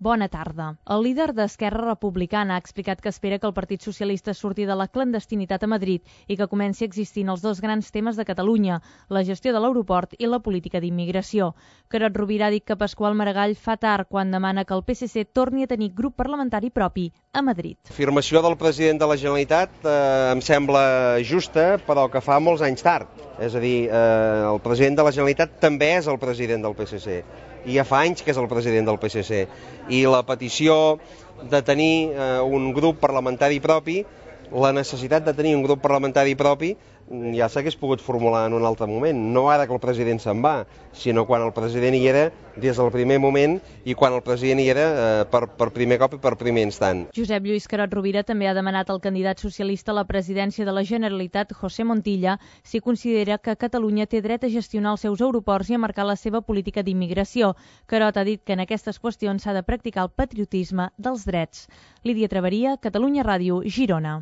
Bona tarda. El líder d'Esquerra Republicana ha explicat que espera que el Partit Socialista surti de la clandestinitat a Madrid i que comenci existint els dos grans temes de Catalunya, la gestió de l'aeroport i la política d'immigració. Carod Rovira ha dit que Pasqual Maragall fa tard quan demana que el PSC torni a tenir grup parlamentari propi a Madrid. L'afirmació del president de la Generalitat em sembla justa, però que fa molts anys tard. És a dir, el president de la Generalitat també és el president del PSC. I ja fa anys que és el president del PSC. I la petició de tenir un grup parlamentari propi, la necessitat de tenir un grup parlamentari propi, ja s'hagués pogut formular en un altre moment. No ara que el president se'n va, sinó quan el president hi era des del primer moment i quan el president hi era per primer cop i per primer instant. Josep Lluís Carod Rovira també ha demanat al candidat socialista a la presidència de la Generalitat, José Montilla, si considera que Catalunya té dret a gestionar els seus aeroports i a marcar la seva política d'immigració. Carod ha dit que en aquestes qüestions s'ha de practicar el patriotisme dels drets. Lídia Traveria, Catalunya Ràdio, Girona.